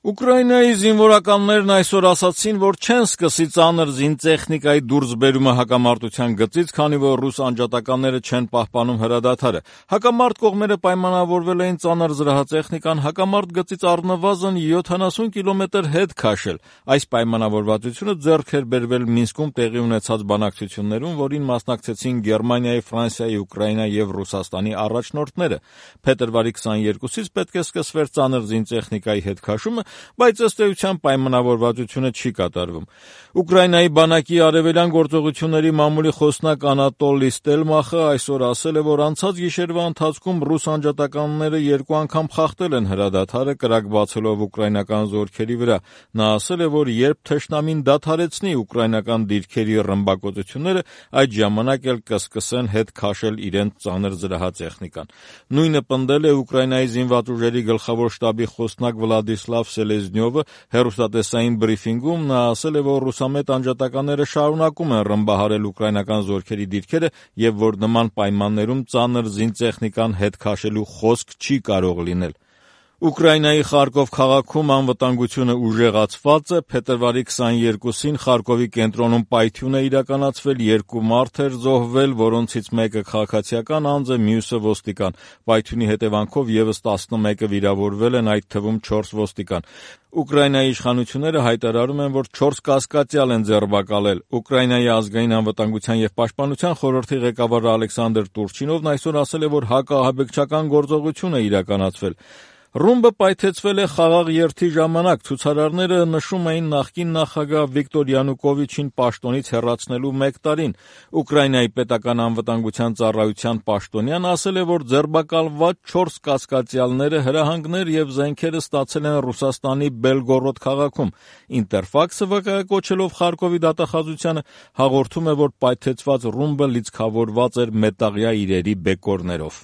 Ուկրաինայի զինվորականներն այսօր ասացին, որ չեն սկսի ծանր զինտեխնիկայի դուրսբերումը հակամարտության գծից, քանի որ ռուս անջատականները չեն պահպանում հրադադարը։ Հակամարտ կողմերը պայմանավորվել էին ծանր զրահատեխնիկան հակամարտ գծից առնվազն 70 կիլոմետր հետ քաշել։ Այս պայմանավորվածությունը ձեռք էր բերվել Մինսկում տեղի ունեցած բանակցություններում, որին մասնակցեցին Գերմանիայի, Ֆրանսիայի, Ուկրաինայի եւ Ռուսաստանի առաջնորդները։ Փետրվարի 22-ից պետք է սկսվեր ծանր զինտեխնիկայի հետ քաշումը, բայց ըստ էության պայմանավորվածությունը չի կատարվում։ Ուկրաինայի բանակի արևելյան գործողությունների մամուլի խոսնակ Անատոլի Ստելմախը այսօր ասել է, որ անցած գիշերվա ընթացքում ռուս անջատականները 2 անգամ խախտել են հրադադարը, կրակ բացելով ուկրաինական զորքերի վրա։ Նա ասել է, որ երբ թշնամին դադարեցնի ուկրաինական դիրքերի ռմբակոծությունները, այդ ժամանակ էլ կսկսեն հետ քաշել իրենց ծանր զրահատեխնիկան։ Նույնը պնդել է Ուկրաինայի զինված ուժերի գլխավոր շտաբի խոսնակ Վլադիսլավ Սելեզնյովը հեռուստատեսային բրիֆինգում։ Նա ասել է, որ ռուսամետ անջատականները շարունակում են ռմբահարել ուկրաինական զորքերի դիրքերը եւ որ նման պայմաններում ծանր զինտեխնիկան հետ քաշելու խոսք չի կարող լինել։ Ուկրաինայի Խարկով քաղաքում անվտանգությունը ուժեղացված է։ Փետրվարի 22-ին Խարկովի կենտրոնում պայթյուն է իրականացվել, 2 մարդ էր զոհվել, որոնցից մեկը քաղաքացիական անձ է, մյուսը ոստիկան։ Պայթյունի հետևանքով եւս 11-ը վիրավորվել են, այդ թվում 4 ոստիկան։ Ուկրաինայի իշխանությունները հայտարարում են, որ 4 կասկածյալ են ձերբակալել։ Ուկրաինայի ազգային անվտանգության եւ պաշտպանության խորհրդի ղեկավար Ալեքսանդր Տուրչինովն այսօր ասել է, որ հակաահաբեկչական գործողություն է իրականացվել։ Ռումբը պայթեցվել է խաղաղ երթի ժամանակ։ Ցուցարարները նշում էին նախկին նախագահ Վիկտոր Յանուկովիչին պաշտոնից հեռացնելու 1 տարին։ Ուկրաինայի պետական անվտանգության ծառայության պաշտոնյան ասել է, որ ձերբակալված 4 կասկածյալները հրահանգներ եւ զենքեր ստացել են Ռուսաստանի Բելգորոդ քաղաքում։ Ինտերֆաքսը վկայակոչելով Խարկովի դատախազությանը հաղորդում է, որ պայթեցված ռումբը լիցքավորված էր մետաղյա իրերի բեկորներով։